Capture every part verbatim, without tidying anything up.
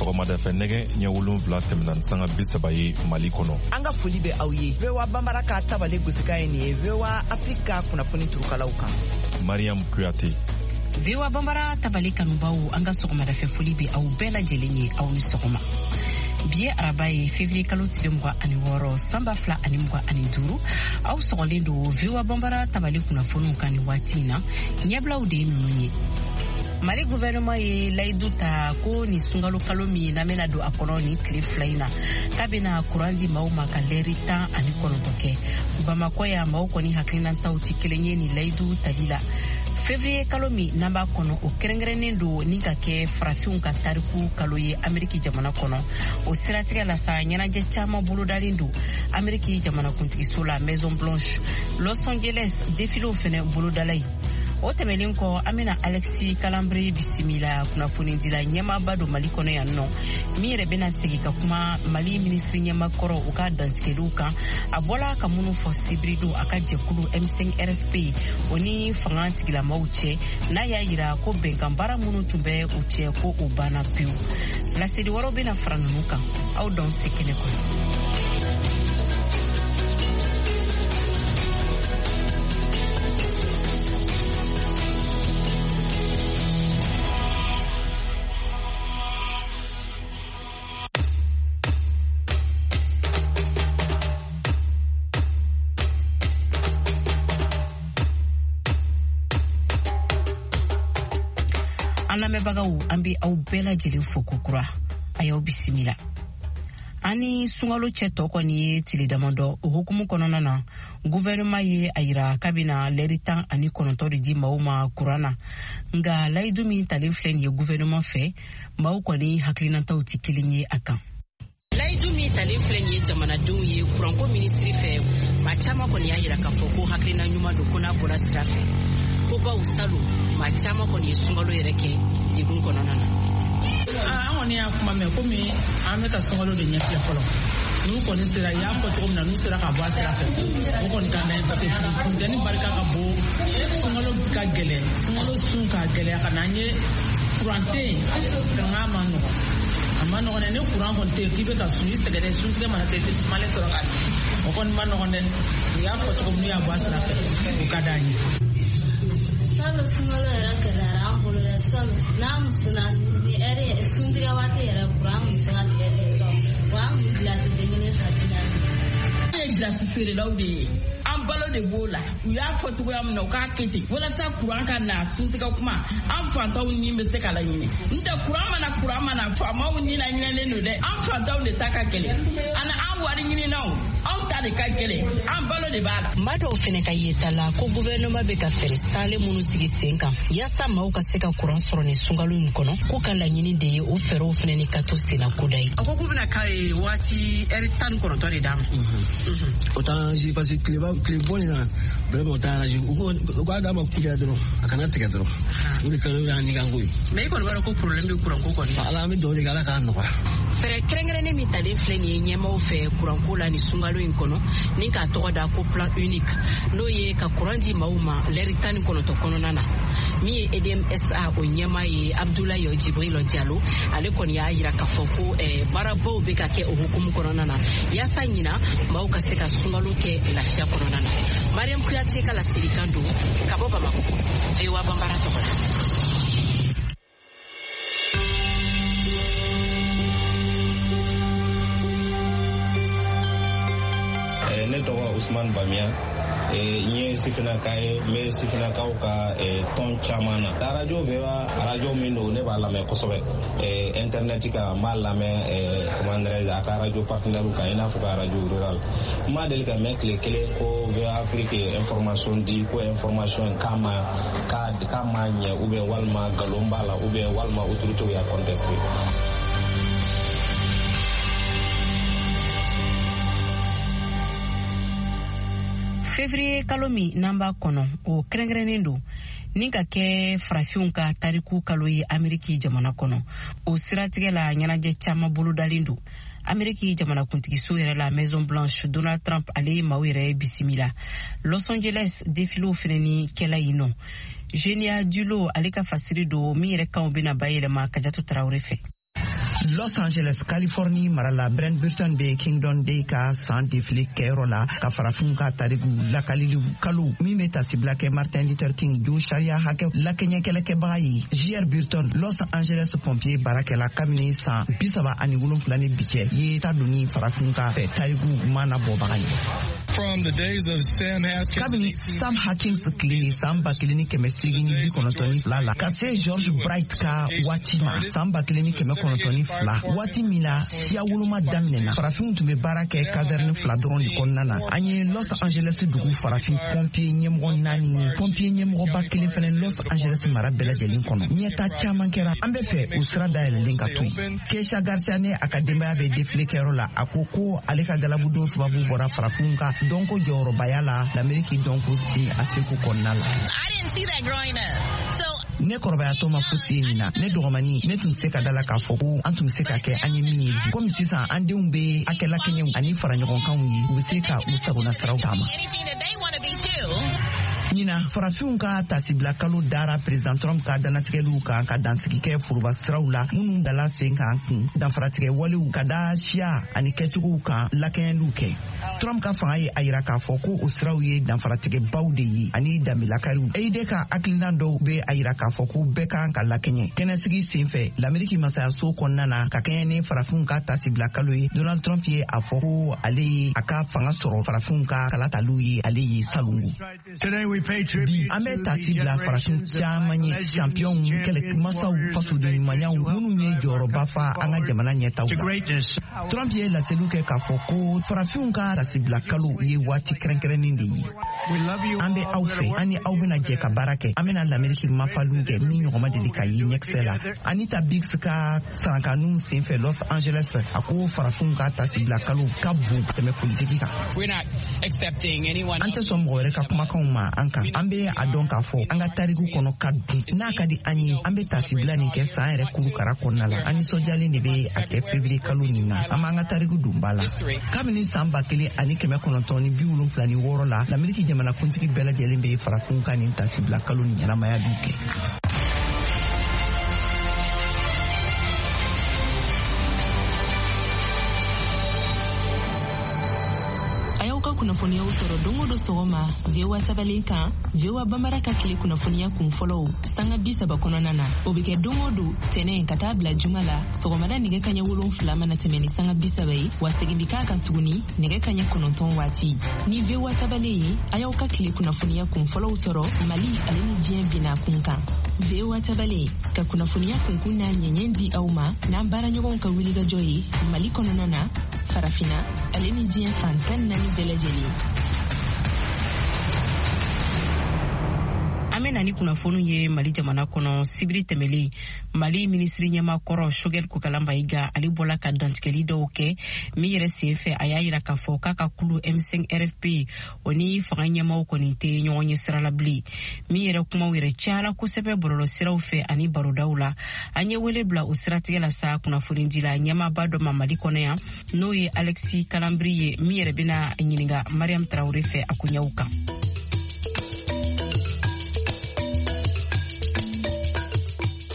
Sɔgɔmada fɛ nɛgɛ ɲɛ wolonwula tɛmɛna ni sanga bi saba ye Mali kɔnɔ. An ka foli bɛ aw ye. V O A Bambara ka tabale gosikan ye nin ye V O A Afrique ka kunnafoni turukalaw kan. Mariam Kuyate. V O A Bambara tabale kanubaw, an ka sɔgɔmada fɛ foli bɛ aw bɛɛ lajɛlen ye, aw ni sɔgɔma. Bi ye araba ye, février kalo tile mugan ani wɔɔrɔ, san ba fila ani mugan ani duuru. Aw sɔgɔlen don V O A Bambara tabale kunnafoniw kan nin waati in na. Ɲɛbilaw de ye ninnu ye. Mali gouvernement ye layidu ta ko nin sunkalo kalo min n'an bɛna don a kɔnɔ nin tile fila in na, k'a bɛna kuran di maaw ma ka lɛri tan ani kɔnɔntɔn kɛ. Bamakɔ yan, maaw kɔni hakilinataw tɛ kelen ye nin layidu tali la. Février kalo min n'an b'a kɔnɔ, o kɛrɛnkɛrɛnnen don ni ka kɛ farafinw ka tariku kalo ye Ameriki jamana kɔnɔ. O siratigɛ la sa, ɲɛnajɛ caman bolodalen don Ameriki jamanakuntigiso la Maison Blanche, Los Angeles défilew fɛnɛ bolodala yen. O tɛmɛnen kɔ, an bɛna Alexis Kalambry bisimila, kunnafonidila ɲɛmaaba don Mali kɔnɔ yan nɔ, min yɛrɛ bɛna segin ka kuma Mali minisiri ɲɛmakɔrɔ u ka dantigɛliw kan, a bɔla ka minnu fɔ sibiridon a ka jɛkulu M cinq R F P o ni fanga tigilamaw cɛ, n'a y'a yira ko bɛnkan baara minnu tun bɛ u cɛ ko o banna pewu. Laseli wɛrɛw bɛna fara ninnu kan, aw dɔn se kɛnɛ kɔnɔ. An lamɛnbagaw, an bɛ aw bɛɛ lajɛlen fo kokura, a y'aw bisimila. An ni sunkalo cɛ tɔ kɔni ye tile damadɔ. O hukumu kɔnɔna na, gouvernement ye a yira k'a bɛna lɛri tan ani kɔnɔntɔn de di maaw ma kuran na. Nka layidu min talen filɛ nin ye gouvernement fɛ, maaw kɔni hakilinataw tɛ kelen ye a kan. Layidu min talen filɛ nin ye jamanadenw ye kuranko minisiri fɛ, maa caman kɔni y'a yira k'a fɔ ko hakilina ɲuman don, ko n'a bɔra sira fɛ. Ko baw salon, maa caman kɔni ye sunkalo yɛrɛ kɛ degun kɔnɔna na. An kɔni y'a kuma mɛn komi an bɛ ka sunkalo de ɲɛfilɛ fɔlɔ. N'u kɔni sera, i y'a fɔ cogo min na, n'u sera ka bɔ a sira fɛ, o kɔni ka d'an ye, parce que funteni barika ka bon, sunkalo ka gɛlɛn, sunkalo sun ka gɛlɛya ka na an ye kuran tɛ yen, nka a ma nɔgɔn. A ma nɔgɔn dɛ, ni kuran kɔni tɛ yen k'i bɛ ka sun, i sɛgɛnnen, suntigɛ mana se i tɛ sumalen sɔrɔ ka dun. O kɔni ma nɔgɔn dɛ, u y'a fɔ cogo min, n'u y'a bɔ a sira fɛ, o ka d'an ye. Salon sunkalo yɛrɛ gɛlɛyara an bolo dɛ, salon n'an muso na ni ɛri suntigɛ waati yɛrɛ kuran kun bɛ se ka tigɛ tigɛ tɔ, wa an kun bɛ gilasi den kelen san bi naani. An ye gilasi feerelaw de ye, an balo de b'o la. U y'a fɔ cogoya min na, u k'a kɛ ten walasa kuran ka na suntigɛ kuma, an fantanw ni bɛ se ka laɲini. N tɛ kuran mana kuran mana faamaw ni laɲinɛlen don dɛ, an fantanw de ta ka gɛlɛn, ani an wari ɲininaw, anw ta de ka gɛlɛn, an balo de b'a la. Maa dɔw fɛnɛ ka yeta la ko gouvernement bɛ ka fɛɛrɛ salen minnu sigi sen kan yaasa maaw ka se ka kuran sɔrɔ nin sunkalo in kɔnɔ, k'u ka laɲini de ye o fɛɛrɛw fɛnɛ ni ka to senna koda ye. A ko k'u bɛna k'a ye waati ɛri tan ni kɔnɔntɔn de d'a ma. O t'an arrange parce que tileba tile bɔ nin na vraiment o t'an arrange. U k'a d'a ma kuncɛ dɔrɔn, a kana tigɛ dɔrɔn. O de ka o y'an ɲininka ko ye. Mais i kɔni b'a dɔn ko problème bɛ kuranko kɔni. Ala, an bɛ dugawu de kɛ Ala k'a nɔgɔya. Fɛɛrɛ kɛrɛnkɛrɛnnen min talen filɛ nin ye ɲɛmaaw fɛ kuranko la nin sunkalo in kɔnɔ, ni k'a tɔgɔ da ko plan unique, n'o ye ka kuran di maaw ma lɛri tan ni kɔnɔntɔn kɔnɔna na. Min ye E D M S A o ɲɛmaa ye Abdoulaye Djibril Diallo, ale kɔni y'a yira k'a fɔ ko baarabaw bɛ ka kɛ o hukumu kɔnɔna na yaasa ɲina maaw ka se ka sunkalo kɛ lafiya kɔnɔna na. Mariam Kuyate ka laselikan don ka bɔ Bamakɔ, V O A Bambara tɔgɔ la. Ne tɔgɔ Usman Bamiya, n ye sifinnaka ye, n bɛ sifinnakaw ka tɔn caman na. Radio V O A radio min don, ne b'a lamɛn kosɛbɛ. Internet kan n b'a lamɛn, comment dirais-je, a ka radio partenaire kan, i n'a fɔ ka radio rural. N ma deli ka mɛn tile kelen ko V O A Afrique ye information di, ko information k'a ma k'a ma ɲɛ, ou bien walima nkalon b'a la, ou bien walima autorité y'a contesté. Février kalo min n'an b'a kɔnɔ, o kɛrɛnkɛrɛnnen don ni ka kɛ farafinw ka tariku kalo ye Ameriki jamana kɔnɔ. O siratigɛ la, ɲɛnajɛ caman bolodalen don Ameriki jamanakuntigiso yɛrɛ la Maison Blanche. Donald Trump ale ye maaw yɛrɛ bisimila. Los Angeles défilew fɛnɛ ni kɛla yen nɔ. Genia Dulo ale ka fasiri don min yɛrɛ kanw bɛna bayɛlɛma Kajatu Tarawele fɛ. Los Angeles, Californie mara la, Brent Burton bɛ Kingdom Day ka san défilé kɛyɔrɔ la ka farafinw ka tariku lakalili kalo min bɛ tasibila kɛ Martin Luther King jo sariya hakɛ lakɛɲɛ kɛlɛkɛbaga ye. J R Burton, Los Angeles pompier baarakɛla kabini san bi saba ani wolonfila ni bi cɛ ye ta donni farafinw ka fɛ tariku mana bɔbaga ye. Kabini Sam Hawkins tile san ba kelen ni kɛmɛ seegin ni bi kɔnɔntɔn ni fila la ka se George Bright ka waati ma san ba kelen ni kɛmɛ kɔnɔntɔn ni fila, waati min na siya woloma daminɛna, farafinw tun bɛ baara kɛ caserne fila dɔrɔn de kɔnɔna na. An ye Los Angeles dugu farafin pompier ɲɛmɔgɔ naani ye, pompier ɲɛmɔgɔba kelen fɛnɛ Los Angeles mara bɛɛ lajɛlen kɔnɔ. Ɲɛta caman kɛra, an bɛ fɛ o sira dayɛlɛlen ka to yen. Keisha Garcia ne a ka denbaya bɛ défilé kɛyɔrɔ la, a ko ko ale ka galabudon sababu bɔra farafinw ka dɔnko jɔyɔrɔbaya la l'Amérique dɔnko ni a seko kɔnɔna la. Ne kɔrɔbayatɔ ma fosi ye nin na. Ne dɔgɔmani, ne tun tɛ se ka da la k'a fɔ ko an tun bɛ se ka kɛ an ye min ye bi. Komi sisan an denw bɛ hakɛlakɛɲɛw ani faraɲɔgɔnkanw ye, u bɛ se ka u sagona siraw taama. Ɲina farafinw ka tasibila kalo dara président Trump ka dannatigɛliw kan ka dansigi kɛ foroba siraw la minnu dala sen kan kun danfaratigɛ walew ka da siya ani kɛcogow kan lakɛɲɛliw kɛ. Trump ka fanga ye a yira k'a fɔ ko o siraw ye danfaratigɛbaw de ye ani danbelakariw. E I D ka hakilina dɔw bɛ a yira k'a fɔ ko bɛɛ kan ka lakɛɲɛ. Kɛnɛsigi senfɛ l'Amérique masayaso kɔnɔna na ka kɛɲɛ ni farafinw ka tasibila kalo ye, Donald Trump ye a fɔ ko ale ye a ka fanga sɔrɔ farafinw ka kalataliw ye ale ye salongo. Bi an bɛ tasi bila farafin caman ye, championw, kɛlɛmasaw, fasoden ɲumanyaw minnu ye jɔyɔrɔba fa an ka jamana ɲɛtaw la. Trump ye laseliw kɛ k'a fɔ ko farafinw ka tasibila kalo ye waati kɛrɛnkɛrɛnnen de ye. An bɛ aw fɛ, an ni aw bɛna jɛ ka baara kɛ, an bɛna l'Amérique mafaliw kɛ min ɲɔgɔn ma deli ka ye ɲɛkisɛ la. Anita Biggs ka sarankaniw senfɛ Los Angeles, a ko farafinw ka tasibila kalo ka bon ka tɛmɛ politiki kan. An tɛ sɔn mɔgɔ wɛrɛ ka kumakanw ma an kan. An bɛ a dɔn k'a fɔ an ka tariku kɔnɔ ka dun. N'a ka di an ye, an bɛ tasibila nin kɛ san yɛrɛ kurukara kɔnɔna la. An nisɔndiyalen de bɛ a kɛ février kalo nin na. An b'an ka tariku don ba la. Kabini san ba kelen ani kɛmɛ kɔnɔntɔn ni bi wolonfila ni wɔɔrɔ la, l'Amérique jamanakuntigi bɛɛ lajɛlen bɛ farafinw ka nin tasibila kalo nin ɲɛnamaya dun kɛ. Kunnafoniyaw sɔrɔ don o don sɔgɔma V O A tabalen kan, V O A Bambara ka tile kunnafoniya kun fɔlɔw sanga bi saba kɔnɔna na. O bɛ kɛ don o don tɛnɛn ka taa bila juma la sɔgɔmada nɛgɛ kaɲɛ wolonfila mana tɛmɛ ni sanga bi saba ye, wa segin bɛ k'a kan tuguni nɛgɛ kaɲɛ kɔnɔntɔn waati. Ni V O A tabalen ye, a y'aw ka tile kunnafoniya kun fɔlɔw sɔrɔ Mali ale ni diɲɛ binna kun kan. V O A tabalen ka kunnafoniya kunkun n'a ɲɛɲɛ di aw ma n'an baaraɲɔgɔnw ka wulikajɔ ye Mali kɔnɔna na, Farafina ale ni diɲɛ fan tan naani bɛɛ lajɛlen. An bɛ na ni kunnafoniw ye Mali jamana kɔnɔ. Sibiri tɛmɛlen, Mali minisiri ɲɛmakɔrɔ Choguel Kokalla Maïga ale bɔla ka dantigɛli dɔw kɛ min yɛrɛ senfɛ a y'a yira k'a fɔ k'a ka kulu M cinq R F P o ni fanga ɲɛmaw kɔni tɛ ɲɔgɔn ɲɛ sira la bilen. Min yɛrɛ kumaw yɛrɛ cayara kosɛbɛ bɔlɔlɔsiraw fɛ ani barodaw la. An ye wele bila o siratigɛ la sa kunnafonidila ɲɛmaaba dɔ ma Mali kɔnɔ yan, n'o ye Alexis Kalambry ye, min yɛrɛ bɛna ɲininka Mariam Traoré fɛ a koɲɛw kan.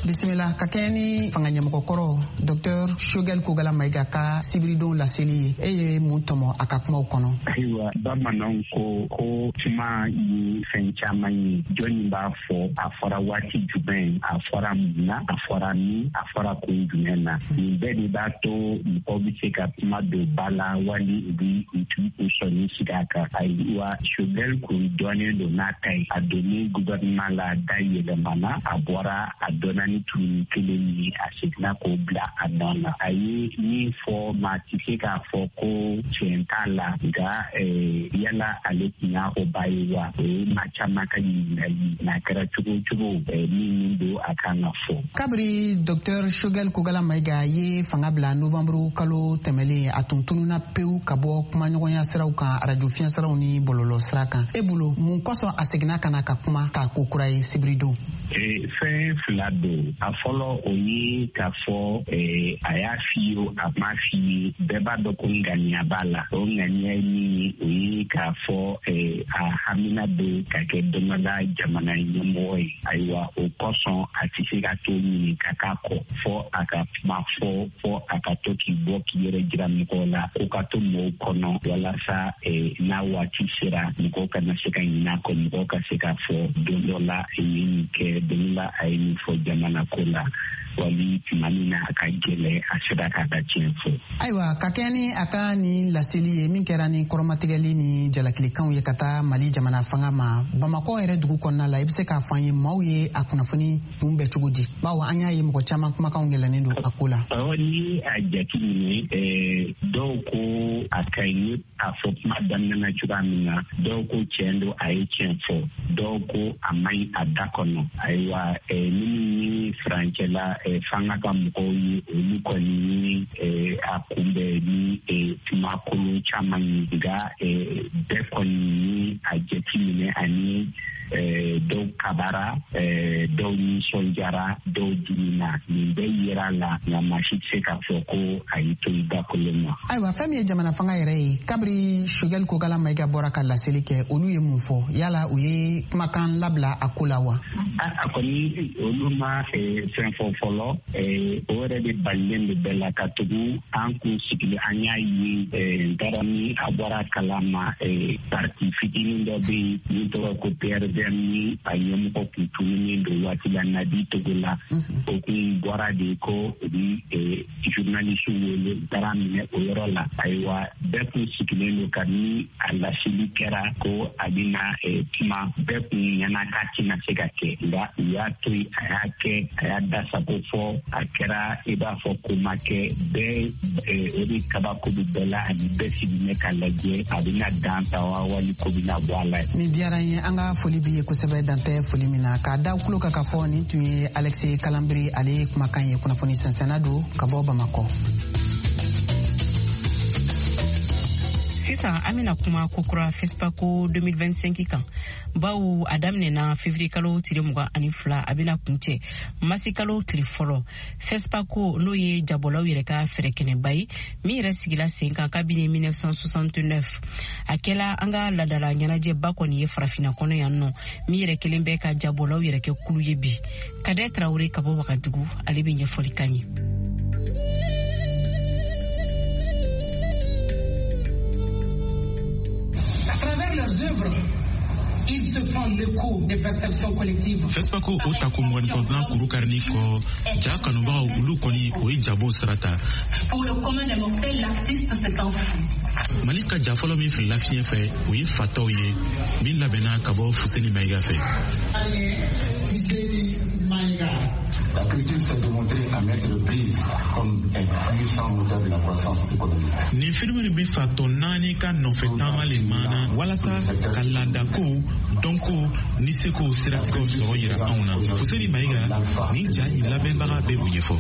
Bisimila ka kɛɲɛ ni fanga ɲɛmɔgɔkɔrɔ Docteur Choguel Kokalla Maïga ka sibiridon laseli ye, e ye mun tɔmɔ a ka kumaw kɔnɔ? Ayiwa, bamananw ko ko kuma ye fɛn caman ye. Jɔnni b'a fɔ, a fɔra waati jumɛn, a fɔra mun na, a fɔra min, a fɔra kun jumɛn na. Nin bɛɛ de b'a to mɔgɔw bɛ se ka kuma don ba la wali u bɛ u sɔnni sigi a kan. Ayiwa, Choguel kun dɔnnen don n'a ta ye. A donni gouvernement la, da yɛlɛmana, a bɔra a dɔnna ni tun kelen ye, a seginna k'o bila a nɔ na. A ye min fɔ, maa tɛ se k'a fɔ ko tiɲɛ t'a la, nka yala ale tun y'a fɔ ba ye wa? O ye maa caman ka ɲininkali. N'a kɛra cogo o cogo, min min don a kan ka fɔ. Kabiri Docteur Choguel Kokalla Maïga ye fanga bila novembre kalo tɛmɛlen, a tun tununna pewu ka bɔ kumaɲɔgɔnya siraw kan, arajo fiɲɛ siraw ni bɔlɔlɔ sira kan. E bolo, mun kosɔn a seginna ka na ka kuma k'a ko kura ye sibiridon? Fɛn Fɛn fila don. A fɔlɔ, o ye k'a fɔ a y'a f'i ye, a ma f'i ye, bɛɛ b'a dɔn ko ŋaniya b'a la. O ŋaniya ye min ye, o ye k'a fɔ a hamina bɛ ka kɛ don dɔ la jamana ɲɛmɔgɔ ye. Ayiwa, o kosɔn a tɛ se ka to ɲini ka k'a kɔ, fɔ a ka kuma fɔ, fɔ a ka to k'i bɔ k'i yɛrɛ jira mɔgɔw la, ko ka to mɔgɔw kɔnɔ, walasa n'a waati sera, mɔgɔw kana se ka ɲinɛ a kɔ, mɔgɔw ka se k'a fɔ don dɔ la a ye nin kɛ, don dɔ la a ye nin fɔ jamana ko la, wali tuma min na a ka gɛlɛn, a sera k'a ka tiɲɛ fɔ. Ayiwa, ka kɛ ni a ka nin laseli ye min kɛra ni kɔrɔmatigɛli ni jalakilikanw ye ka taa Mali jamana fanga ma, Bamakɔ yɛrɛ dugu kɔnɔna la, i bɛ se k'a fɔ an ye maaw ye a kunnafoni kunbɛn cogo di? Bawo an y'a ye mɔgɔ caman kumakanw yɛlɛnnen don a ko la. Awɔ, n'i ye a jateminɛ, dɔw ko a ka ɲi, a fɔ kuma daminɛna cogoya min na, dɔw ko tiɲɛ don, a ye tiɲɛ fɔ, dɔw ko a man ɲi a da kɔnɔ. Ayiwa, minnu ye furancɛla fanga ka mɔgɔw ye, olu kɔni ye a kunbɛn ni kuma kolon caman ye, nka bɛɛ kɔni ye a jateminɛ, ani dɔw kabara, dɔw nisɔndiyara, dɔw dimina. Nin bɛɛ yera la, nka maa si tɛ se k'a fɔ ko a y'i to i da kolon ma. Ayiwa, fɛn min ye jamana fanga yɛrɛ ye, kabiri Choguel Kokalla Maïga bɔra ka laseli kɛ, olu ye mun fɔ? Yala u ye kumakan labila a ko la wa? A kɔni, olu ma fɛn fɔ fɔlɔ. O yɛrɛ de balilen de bɛɛ la, ka tugu an kun sigili, an y'a ye, n taara ni a bɔra kalama, parti fitinin dɔ bɛ yen min tɔgɔ ko P R V M, ni a ɲɛmɔgɔ kun tununnen don waati la, Nabi Togola, o kun bɔra de ko u bi journaliste wele, u taara minɛ o yɔrɔ la. Ayiwa, bɛɛ kun sigilen don kabini a laseli kɛra ko a bɛna kuma, bɛɛ kun ɲɛna k'a tɛna se ka kɛ, nka u y'a to yen, a y'a kɛ, a y'a dasago fɔ, a kɛra i b'a fɔ ko ma kɛ. Bɛɛ o de kabako bɛ bɛɛ la, ani bɛɛ sigilen k'a lajɛ a bɛna dan ta wa, wali ko bɛna bɔ a la. Nin diyara n ye, an ka foli b'i ye kosɛbɛ, dantɛ foli min na k'a da kulo kan k'a fɔ nin tun ye Alexis Kalanbiri ale kumakan ye, kunnafoni sɛnsɛnna don ka bɔ Bamakɔ. Sisan an bɛna kuma kokura FESPACO deux mille vingt-cinq kan, bawo a daminɛna février kalo tile mugan ani fila, a bɛna kuncɛ masi kalo tile fɔlɔ. FESPACO, n'o ye jabɔlaw yɛrɛ ka fɛɛrɛkɛnɛba ye min yɛrɛ sigila sen kan kabini mille neuf cent soixante-neuf, a kɛla an ka laadala ɲɛnajɛba kɔni ye farafinna kɔnɔ yan nɔ, min yɛrɛ kelen bɛ ka jabɔlaw yɛrɛ kɛ kulu ye bi. Kadɛ Tarawele ka bɔ Wagadugu, ale bɛ ɲɛfɔli kan ye. Leurs œuvres, ils se font l'écho des perceptions collectives. FESPACO o tako mugan ni kɔnɔntɔnnan kuru karini kɔ, ja kanubagaw olu kɔni o ye jabo sira ta. Pour le commun des mortels, l'artiste c'est un fou. Mali ka ja fɔlɔ min filila fiɲɛ fɛ, o ye fatɔw ye, min labɛnna ka bɔ Fuseni Maïga fɛ. La culture s'est démontrée à maintes reprises comme un puissant moteur de la croissance économique. Nin filimu nin bɛ fatɔ naani ka nɔfɛ taama le maana walasa ka laadakow, dɔnko ni sekow siratigɛw sɔrɔ yira anw na. Fuseni Maïga, nin ja in labɛnbaga bɛ o ɲɛfɔ.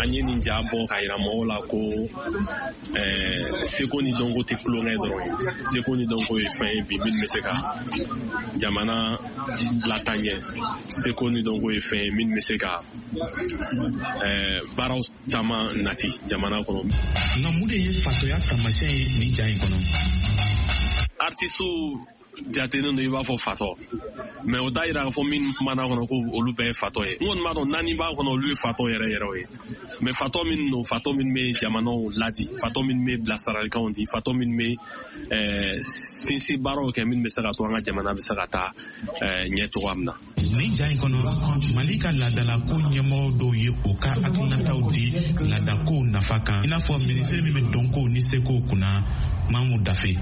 An ye nin ja bɔ k'a yira mɔgɔw la ko ɛɛ seko ni dɔnko tɛ tulonkɛ dɔrɔn ye. Seko ni dɔnko ye fɛn ye bi min bɛ se ka jamana lataa ɲɛ. Seko ni dɔnko ye fɛn ye min bɛ se ka ɛɛ baaraw caman nati jamana kɔnɔ. Nka mun de ye fatɔya taamasiyɛn ye nin ja in kɔnɔ? Artisiw jatelen don i b'a fɔ fatɔ, mɛ o t'a yira k'a fɔ min kumana kɔnɔ ko olu bɛɛ ye fatɔ ye. N kɔni b'a dɔn naani b'a kɔnɔ, olu ye fatɔ yɛrɛ yɛrɛw ye. Mɛ fatɔ minnu don, fatɔ minnu bɛ jamanaw ladi, fatɔ minnu bɛ bilasiralikanw di, fatɔ minnu bɛ ɛɛ sinsin baaraw kɛ min bɛ se ka to an ka jamana bɛ se ka taa ɲɛ cogoya min na. Nin ja in kɔnɔ, Mali ka laadalako ɲɛmɔgɔw dɔw ye u ka hakilinataw di laadakow nafa kan, i n'a fɔ minisiri min bɛ dɔnkow ni sekow kunna, Mamu Dafe.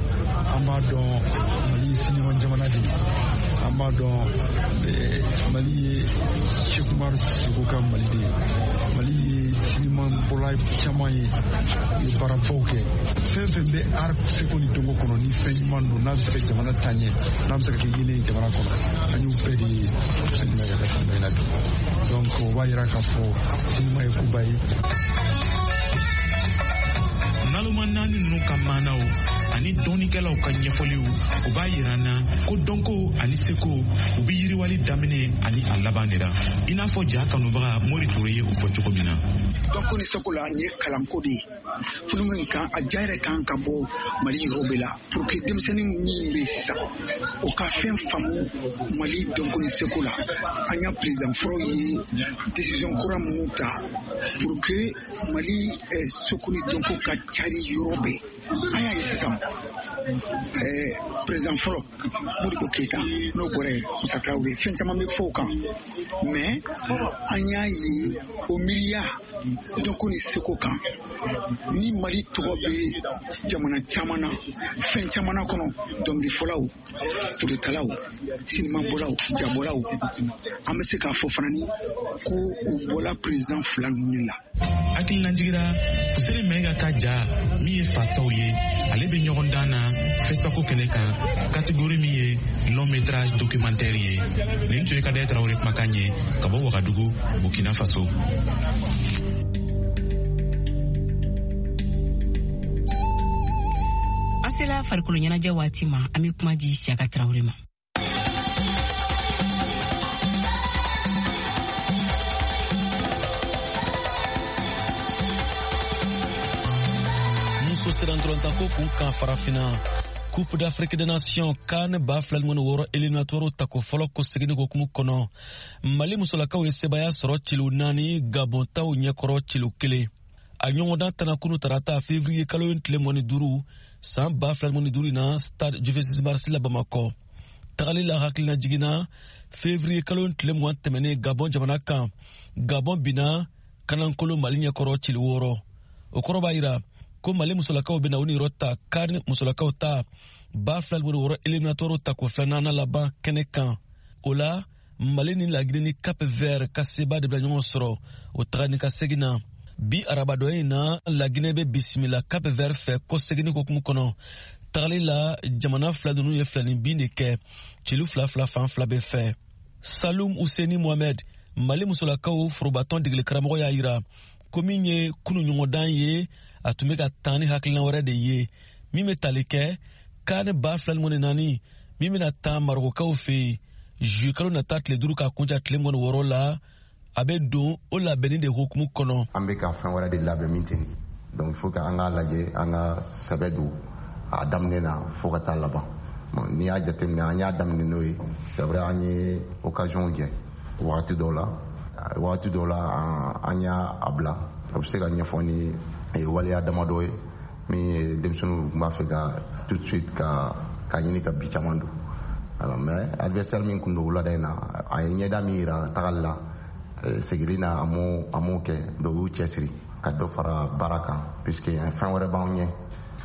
An b'a dɔn Mali ye sinima jamana de ye. An b'a dɔn Mali ye Cheikh Oumar Sissoko ka Mali de ye. Mali ye sinima bɔla caman ye, u ye baarabaw kɛ. Fɛn fɛn bɛ art seko ni dɔnko kɔnɔ, ni fɛn ɲuman don, n'a bɛ se ka jamana taa ɲɛ, n'a bɛ se ka kɛ yeelen ye jamana kɔnɔ, an y'u bɛɛ de ye sinima yɛrɛ ka sinima in na bi. Donc o b'a yira k'a fɔ sinima ye koba ye. Naloma naani ninnu ka maanaw ani dɔnnikɛlaw ka ɲɛfɔliw, o b'a yira an na ko dɔnko ani seko u bɛ yiriwali daminɛ ani a laban de la, i n'a fɔ ja kanubaga Mori Ture ye o fɔ cogo min na. Dɔnko ni seko la, nin ye kalanko de ye. Filimu in kan, a ja yɛrɛ kan ka bɔ Mali yɔrɔ bɛɛ la pour que denmisɛnnin min bɛ sisan, o ka fɛn faamu Mali dɔnko ni seko la. An y'a président fɔlɔ ye décision kura minnu ta pour que Mali seko ni dɔnko ka cari yɔrɔ bɛɛ. An y'a ye sisan, président fɔlɔ Modibo Keyita, n'o bɔra yen, Musa Tarawele, fɛn caman bɛ fɔ o kan, mais an y'a ye o miiriya dɔnko ni seko kan ni Mali tɔgɔ bɛ jamana caman na, fɛn caman na kɔnɔ, dɔnkilifɔlaw, fototalaw, sinimabɔlaw, jabɔlaw. An bɛ se k'a fɔ fana ni ko u bɔla président fila ninnu la. Hakilinajigira Fuseni Mayiga ka ja min ye fatɔw ye, ale bɛ ɲɔgɔn dan na FESPACO kɛnɛ kan, catégorie min ye long métrage documentaire ye. Nin tun ye Kadɛ Tarawele kumakan ye ka bɔ Wagadugu, Burkina Faso. An sela farikolo ɲɛnajɛ waati ma, an bɛ kuma di Siyaka Tarawele ma. Muso sirantolontanko kun kan farafinna, Coupe d'Afrique des Nations CAN ba fila ni wɔɔrɔ éliminatoire tako fɔlɔ ko seginni hokumu kɔnɔ, Mali musolakaw ye sebaya sɔrɔ cilo naani Gabon taw ɲɛkɔrɔ cilo kelen. A ɲɔgɔndan tana kunu tarata février kalo tile mugan ni duuru san ba fila ni duuru na stade du vingt-six mars la Bamakɔ. Tagali la hakilina jiginna février kalo tile mugan tɛmɛnen Gabon jamana kan, Gabon binna kanankolo Mali ɲɛkɔrɔ cilo wɔɔrɔ. O kɔrɔ b'a yira ko Mali musolakaw bɛna u niyɔrɔ ta CAN musolakaw ta ba fila ni wɔɔrɔ éliminatoire tako filanan laban kɛnɛ kan. O la Mali ni Laginɛ ni Cap Vert ka seba de bila ɲɔgɔn sɔrɔ o taga ni ka segin na. Bi arabadɔ in na, Laginɛ bɛ bisimila Cap Vert fɛ ko seginni hokumu kɔnɔ. Tagali la jamana fila ninnu ye filani bin de kɛ, celu fila fila fan fila bɛɛ fɛ. Salum Useni Mohamed, Mali musolakaw forobatɔn degeli karamɔgɔ y'a yira ko min ye kunu ɲɔgɔndan ye, a tun bɛ ka taa ni hakilina wɛrɛ de ye min bɛ tali kɛ CAN ba fila ni mugan ni naani min bɛna taa Marokokaw fɛ yen juillet kalo nata tile duuru k'a kuncɛ tile mugan ni wɔɔrɔ la. A bɛ don o labɛnni de hokumu kɔnɔ. An bɛ ka fɛn wɛrɛ de labɛn min tɛ nin, donc il faut que an k'a lajɛ, an ka sɛbɛ don a daminɛ na fo ka taa laban. N'i y'a jateminɛ, an y'a daminɛ n'o ye, c'est vrai an ye occasion jɛ wagati dɔw la, wagati dɔw la an y'a bila. O bɛ se ka ɲɛfɔ ni waleya damadɔ ye min ye denmisɛnninw tun b'a fɛ ka tout de suite ka ka ɲini ka bi caman don. Alors mais adversaire min kun don wulada in na, a ye ɲɛda min yira tagali la, segili na a m'o a m'o kɛ. Donc u y'u cɛsiri ka dɔ fara baara kan, puisque fɛn wɛrɛ b'anw ɲɛ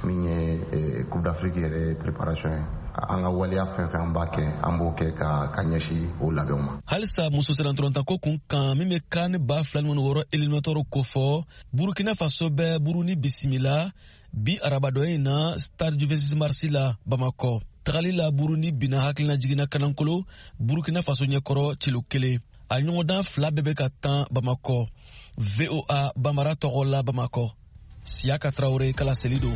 min ye Coupe d'Afrique yɛrɛ préparation ye. An ka waleya fɛn fɛn an b'a kɛ, an b'o kɛ ka ka ɲɛsin o labɛnw ma. Halisa muso sirantolontanko kun kan min bɛ CAN ba fila ni wɔɔrɔ éliminatoire kofɔ, Burkina Faso bɛ Burundi bisimila bi arabadɔ in na stade du vingt-six mars la Bamakɔ. Tagali la Burundi binna hakilina jiginna kanankolo Burkina Faso ɲɛkɔrɔ cilo kelen. A ɲɔgɔndan fila bɛɛ bɛ ka tan Bamakɔ. V O A Bamara tɔgɔ la Bamakɔ, Siyaka Tarawele kala seli don.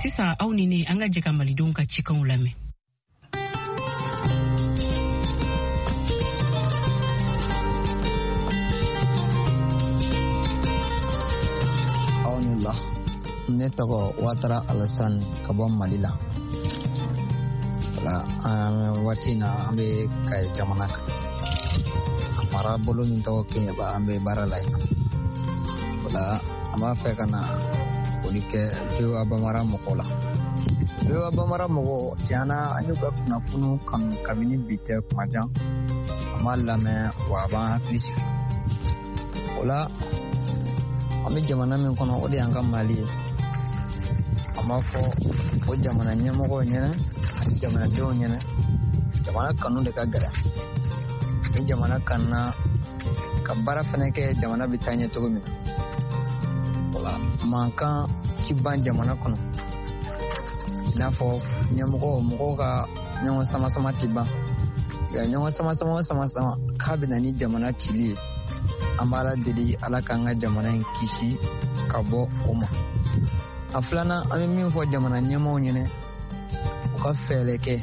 Sisan aw ni ne, an ka jɛ ka malidenw ka cikanw lamɛn. Aw ni la, ne tɔgɔ Watara Alassane ka bɔ Mali la. Wala an waati na an bɛ Kayi jamana kan. A mara bolo min tɔgɔ Keɲeba, an bɛ baara la yen. Wala an b'a fɛ ka na foli kɛ V O A Bamara mɔgɔw la. V O A Bamara mɔgɔw, tiɲɛ na an y'u ka kunnafoniw kanu kabini bi tɛ kuma jan. An b'a lamɛn wa a b'an hakili sigi. O la an bɛ jamana min kɔnɔ, o de y'an ka Mali ye. An b'a fɔ o jamana ɲɛmɔgɔw ɲɛna ani jamanadenw ɲɛna, jamana kanu de ka gɛlɛn. Ni jamana kanuna ka baara fɛnɛ kɛ, jamana bɛ taa ɲɛ cogo min na. Wala mankan ti ban jamana kɔnɔ, i n'a fɔ Ɲɛmɔgɔ mɔgɔw ka ɲɔgɔn sama sama tɛ ban. Nka ɲɔgɔn sama sama o sama sama k'a bɛ na ni jamana cili ye. An b'Ala deli Ala k'an ka jamana in kisi ka bɔ o ma. A filanan, an bɛ min fɔ jamana ɲɛmaaw ɲɛnɛ, u ka fɛɛrɛ kɛ.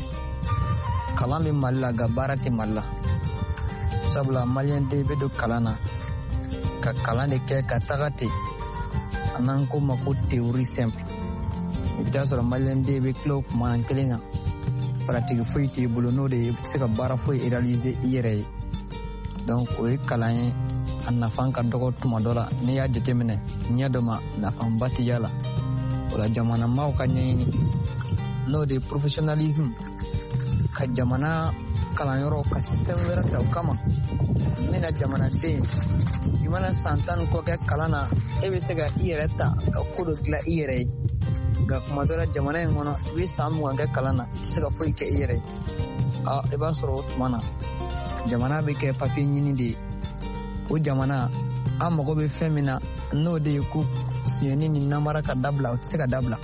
Kalan bɛ Mali la, nka baara tɛ Mali la. Sabula maliyɛn den bɛ don kalan na ka kalan de kɛ ka taga ten. A n'an ko ma ko théorie simple. I bɛ taa sɔrɔ maliyɛn den bɛ tila o kuma kelen na. Pratique foyi t'i bolo, n'o de ye i tɛ se ka baara foyi réaliser i yɛrɛ ye. Donc o ye kalan ye, a nafa ka dɔgɔ tuma dɔ la. N'i y'a jateminɛ ɲɛ dɔ ma, nafaba tɛ y'a la. O la jamana maaw ka ɲɛɲini, n'o de ye professionnalisme, ka jamana kalanyɔrɔ ka système wɛrɛ ta o kama. Min na jamanaden, i mana san tan ni kɔ kɛ kalan na, e bɛ se ka i yɛrɛ ta ka ko dɔ dilan i yɛrɛ ye. Nka kuma dɔ la jamana in kɔnɔ, i bɛ san mugan kɛ kalan na, i tɛ se ka foyi kɛ i yɛrɛ ye. A i b'a sɔrɔ o tuma na jamana bɛ kɛ papiye ɲini de ye. O jamana an mago bɛ fɛn min na, n'o de ye ko sonyɛni ni namara ka dabila, o tɛ se ka dabila.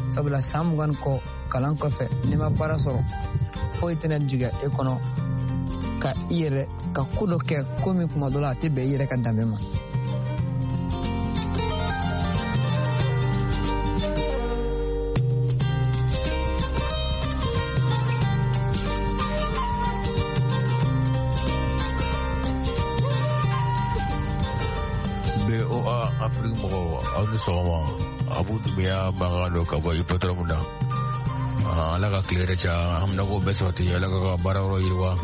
Sabula san mugan ni kɔ kalan kɔfɛ, n'i ma baara sɔrɔ, foyi tɛna jigin e kɔnɔ ka i yɛrɛ ka ko dɔ kɛ ko min kuma dɔ la a tɛ bɛn i yɛrɛ ka danbe ma. B O A Afrique mɔgɔw, aw ni sɔgɔma. Abu Dumbuya mankan don ka bɔ Hippodrome na. Ala ka tile yɛrɛ caya, haminako bɛɛ sabati, Ala ka ka baara yɔrɔ yiriwa.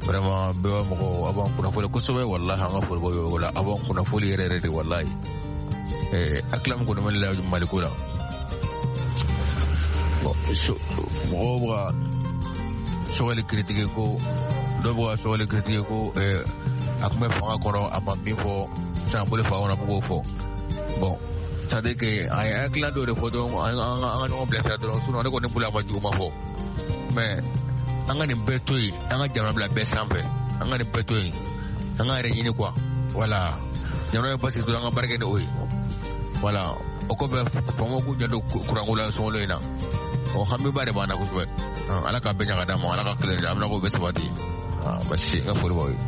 Vraiment B O A mɔgɔw, aw b'an kunnafoni kosɛbɛ, walahi an ka foli b'aw yɔrɔ la, aw b'an kunnafoni yɛrɛ yɛrɛ de walahi. Eh, hakilila min kɔni bɛ ne la Maliko la. Bon, mɔgɔw bɛ ka Sogɛli critiquer ko dɔw bɛ ka Sogɛli critiquer ko eh, a tun bɛ fanga kɔnɔ, a ma min fɔ sisan bolo fanga kɔnɔ a b'o fɔ. Bon, c'est à dire que a ye hakilina dɔw de fɔ dɔrɔn, an ka ɲɔgɔn bilasira dɔrɔn, sinon ne kɔni bolo a ma juguman fɔ. Mais an ka nin bɛɛ to yen, an ka jamana bila bɛɛ sanfɛ, an ka nin bɛɛ to yen, an ka yɛrɛ ɲini quoi. Voilà, jamana ye basigi dɔrɔn, an ka baara kɛ ni o ye. Voilà, o kɔfɛ faamaw k'u janto kuranko la sunkalo in na. O hamiba de b'an na kosɛbɛ. Ala k'a bɛɛ ɲa ka d'an ma, Ala ka tile an bɛna k'o bɛɛ sabati. Basi n ka foli b'aw ye.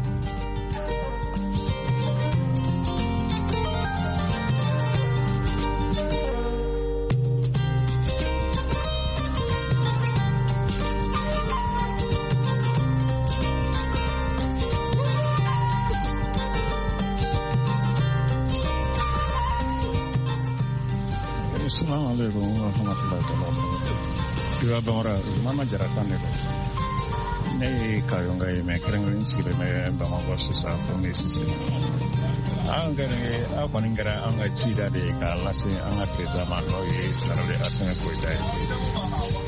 Assalamu alaikum wa rahmatullahi wa barakatuh. Iwa Bamara, Mama Jara kan de don. Ne ye Kayonga ye, mɛ kɛrɛnkɛrɛn sigilen bɛ Bamakɔ sisan, fo ne Sise. An kɛra aw kɔni kɛra an ka cida de ye k'a lase an ka président ma, n'o ye Général Assimi Goïta ye.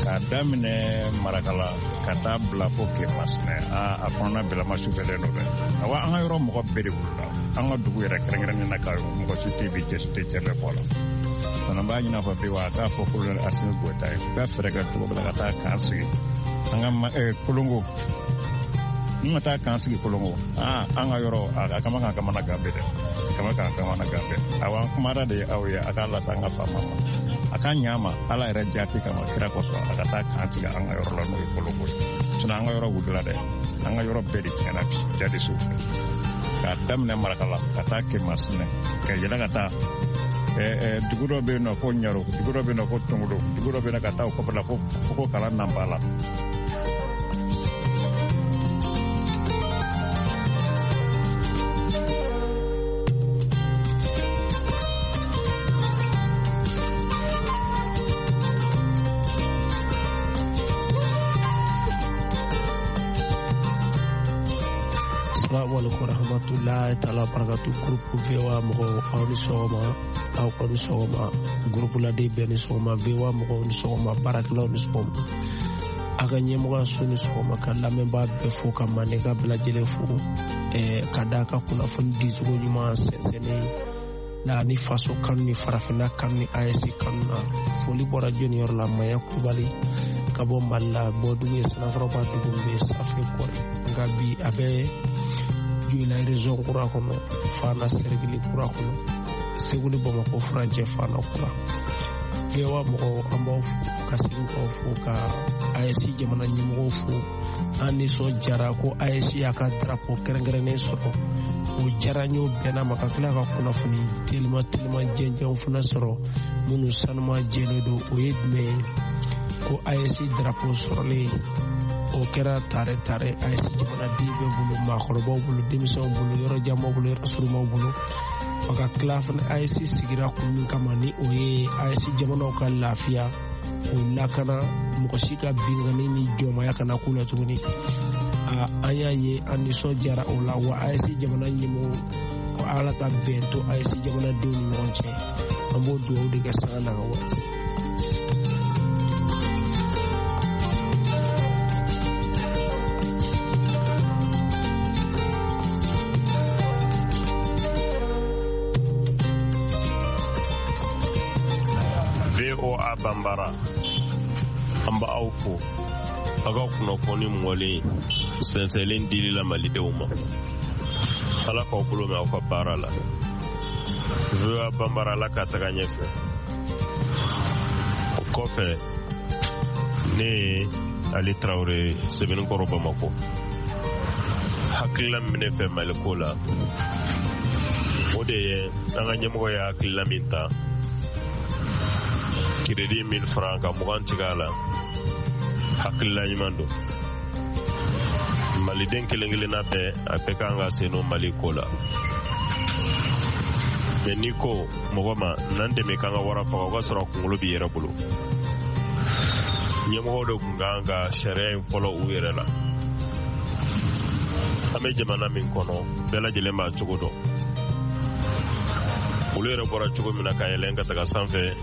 K'a daminɛ Marakala ka taa bila fo Kemasina, a a kɔnɔna bɛɛ la sufɛlen don dɛ. Awa an ka yɔrɔ mɔgɔ bɛɛ de wulila. An ka dugu yɛrɛ kɛrɛnkɛrɛnnen na ka mɔgɔ si tɛ bi cɛ si tɛ cɛ bɛɛ bɔ la. Fana b'a ɲini a fɔ bi wa a k'a fɔ colonel Assimi Goïta ye, u ka fɛɛrɛ kɛ cogo dɔ la ka taa k'an sigi an ka Kolongo. Ni ma taa k'an sigi Kolongo, aa an ka yɔrɔ a kama k'an kamana gan bɛɛ dɛ, a kama k'an kamana gan bɛɛ. Awa an kumara de ye aw ye, a k'a lase an ka faama ma, a ka ɲa ma Ala yɛrɛ jaati kama kira kosɔn, a ka taa k'an sigi an ka yɔrɔ la, n'o ye Kolongo ye. Sinon an ka yɔrɔ wulila dɛ, an ka yɔrɔ bɛɛ de tiɲɛna bi jadisiw fɛ. K'a daminɛ Marakala ka taa Kemasina, ka yɛlɛ ka taa dugu dɔ bɛ yen nɔ ko Ɲaro, dugu dɔ bɛ yen nɔ ko Tongodo, dugu dɔ bɛ yen nɔ ka taa o kɔfɛ la ko ko Kalan Nanba la. Assalamu alaikum warahmatullahi ta'ala barakatu. Groupe V O A mɔgɔw, aw ni sɔgɔma, aw kɔ ni sɔgɔma, groupe laden bɛɛ ni sɔgɔma, V O A mɔgɔw ni sɔgɔma, baarakɛlaw ni sɔgɔma, a ka ɲɛmɔgɔyaso ni sɔgɔma, ka lamɛnbaa bɛɛ fo, ka mandenka bɛɛ lajɛlen fo, ɛɛ ka d'a ka kunnafoni dicogo ɲuman sɛnsɛnnen la ni faso kanu ni farafinna kanu ni A S kanu na. Foli bɔra jɔnni yɔrɔ la, Maya Kulubali ka bɔ Mali la, bɔdugu ye Sanakɔrɔba dugu bɛ Safe Kɔrɛ, nka bi a bɛ Joyila région kura kɔnɔ, Fana sɛrigili kura kɔnɔ, Segu ni Bamakɔ furancɛ Fana kura. V O A mɔgɔw, an b'aw fo ka segin k'aw fo ka A E S jamana ɲɛmɔgɔw fo. An nisɔndiyara ko A E S y'a ka drapeau kɛrɛnkɛrɛnnen sɔrɔ, o diyara n ye, o bɛnna ma, ka tila ka kunnafoni telima telima jɛnjɛnw fana sɔrɔ minnu sanuma jɛlen don. O ye jumɛn ye? Ko A E S drapeau sɔrɔlen, o kɛra tare tare A E S jamanaden bɛɛ bolo, maakɔrɔbaw bolo, denmisɛnw bolo, yɔrɔ janmaw bolo, yɔrɔ surumaw bolo. O ka tila fana A E S sigira kun min kama, ni o ye A E S jamanaw ka lafiya, k'u lakana, mɔgɔ si ka binkanni ni jɔnmaya kana k'u la tuguni. An y'a ye, an nisɔndiyara o la. Wa A E S jamana ɲɛmɔgɔw, ko Ala ka bɛn to A E S jamanadenw ni ɲɔgɔn cɛ. An b'o dugawu de kɛ sanga n'a ka waati. V O A Bambara, an b'aw fo aw ka kunnafoni mɔlen sɛnsɛnlen dili la malidenw ma. Ala k'aw bolo mɛn aw ka baara la. V O A Bambara, Ala ka taga ɲɛfɛ. O kɔfɛ, ne ye Ali Tarawele, Sɛbɛnnikɔrɔ, Bamakɔ. Hakilila min bɛ ne fɛ Maliko la, o de ye an ka ɲɛmɔgɔ ye hakilila min ta, crédit mille francs ka mugan tigɛ a la, hakilila ɲuman don. Maliden kelen kelenna bɛɛ, a bɛɛ kan ka sen don Mali ko la. Mɛ n'i ko mɔgɔ ma n'an dɛmɛ k'an ka wara faga, o ka sɔrɔ a kunkolo b'i yɛrɛ bolo. Ɲɛmɔgɔw de tun kan ka sariya in fɔlɔ u yɛrɛ la. An bɛ jamana min kɔnɔ, bɛɛ lajɛlen b'a cogo dɔn. Olu yɛrɛ bɔra cogo min na ka yɛlɛn ka taga sanfɛ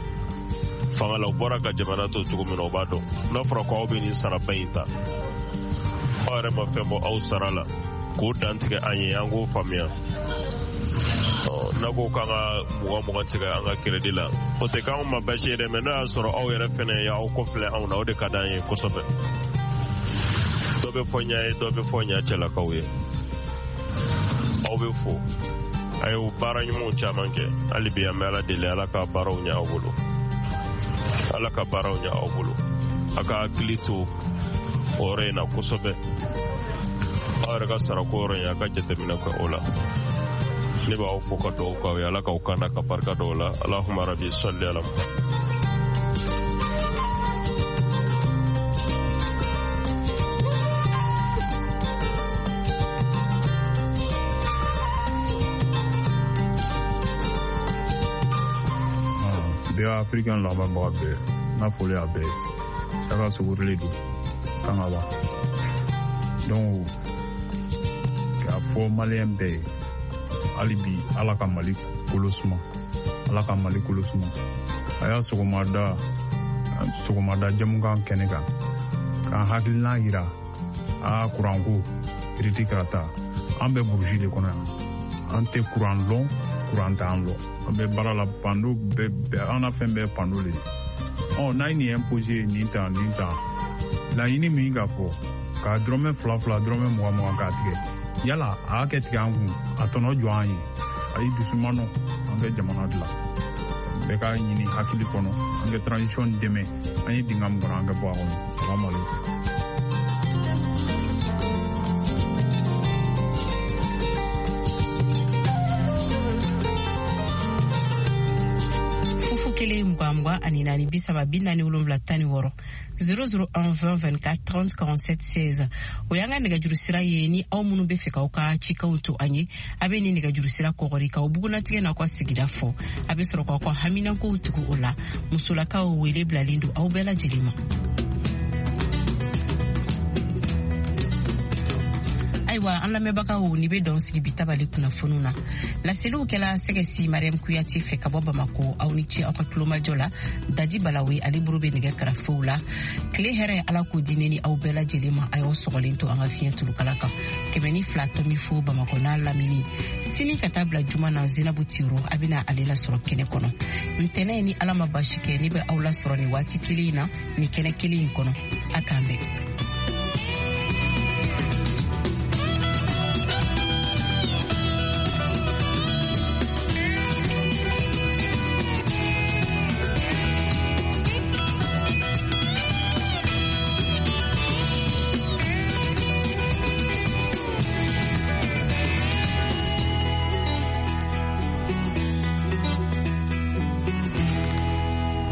fanga la, u bɔra ka jamana to cogo min na, u b'a dɔn. N'a fɔra ko aw bɛ nin saraba in ta, aw yɛrɛ ma fɛn bɔ aw sara la k'o dantigɛ an ye, an k'o faamuya. N'a ko k'an ka mugan mugan tigɛ an ka crédit la, o tɛ k'anw ma baasi ye dɛ, mɛ n'o y'a sɔrɔ aw yɛrɛ fɛnɛ y'aw kɔfilɛ anw na, o de ka d'an ye kosɛbɛ. Dɔ bɛ fɔ ɲa ye, dɔ bɛ fɔ ɲa cɛlakaw ye. Aw bɛ fo, a ye baara ɲumanw caman kɛ. Hali bi an bɛ Ala deli, Ala ka baaraw ɲɛ aw bolo, Ala ka baaraw ɲɛ aw bolo. A ka hakili to o yɔrɔ in na kosɛbɛ. Aw yɛrɛ ka sarako yɔrɔ in, a ka jateminɛ kɛ o la. Ne b'aw fo ka dugawu k'aw ye, Ala k'aw kanda ka barika dɔw la. Alahuma rabi sali ala. V O A Africain lamɛnbaga bɛɛ, n ka foli y'a bɛɛ ye. Saka Sogorole don Kangaba. Donc k'a fɔ maliyɛn bɛɛ ye, hali bi Ala ka Mali kolo suma, Ala ka Mali kolo suma. A y'a sɔgɔmada sɔgɔmada jamukan kɛnɛ kan k'an hakilina yira a kuranko kiriti karata. An bɛ burusi de kɔnɔ yan, an tɛ kuran lɔn, kuran t'an lɔn. An bɛ baara la, pando bɛɛ, an na fɛn bɛɛ pando le ye. Ɔ n'a ye nin imposé, nin ta nin ta, laɲini min ka fɔ k'a dɔrɔmɛ fila fila, dɔrɔmɛ mugan mugan k'a tigɛ, yala a y'a kɛ tigɛ an kun, a tɔnɔ jɔ an ye. A ye dusu ma nɔ, an kɛ jamana dilan. Bɛɛ k'a ɲini hakili kɔnɔ, an kɛ transition dɛmɛ, an ye dingɛ min kɔnɔ, an kɛ bɔ a kɔnɔ. Salamu aleykum. Kelen mugan mugan ani naani bi saba bi naani wolonwula tan ni wɔɔrɔ zéro zéro un vingt vingt-quatre trente quarante-sept seize. O y'an ka nɛgɛjuru sira ye. Ni aw minnu bɛ fɛ k'aw ka cikanw to an ye, a bɛ nin nɛgɛjuru sira kɔgɔri k'aw bugunatigɛ n'aw ka sigida fɔ. A bɛ sɔrɔ k'aw ka haminankow tugu o la. Musolakaw wele bilalen don aw bɛɛ lajɛlen ma. Ayiwa, an lamɛnbagaw, ni bɛ dɔn sigi bi tabali kunnafoniw na. Laseliw kɛla Sɛgɛsi Mariam Kuyate fɛ ka bɔ Bamako. Aw ni ce aw ka tulomajɔ la. Dadi Balawe ale bolo bɛ nɛgɛ karafew la. Tile hɛrɛ, Ala k'o di ne ni aw bɛɛ lajɛlen ma. A y'aw sɔgɔlen to an ka fiɲɛ tulukala kan kɛmɛ ni fila tɔmi fo Bamakɔ n'a lamini. Sini ka taa bila juma na, Zinabu Tiro a bɛna ale lasɔrɔ kɛnɛ kɔnɔ. Ntɛnɛn, ni Ala ma baasi kɛ, ne bɛ aw lasɔrɔ nin waati kelen in na, nin kɛnɛ kelen in kɔnɔ. A k'an bɛn.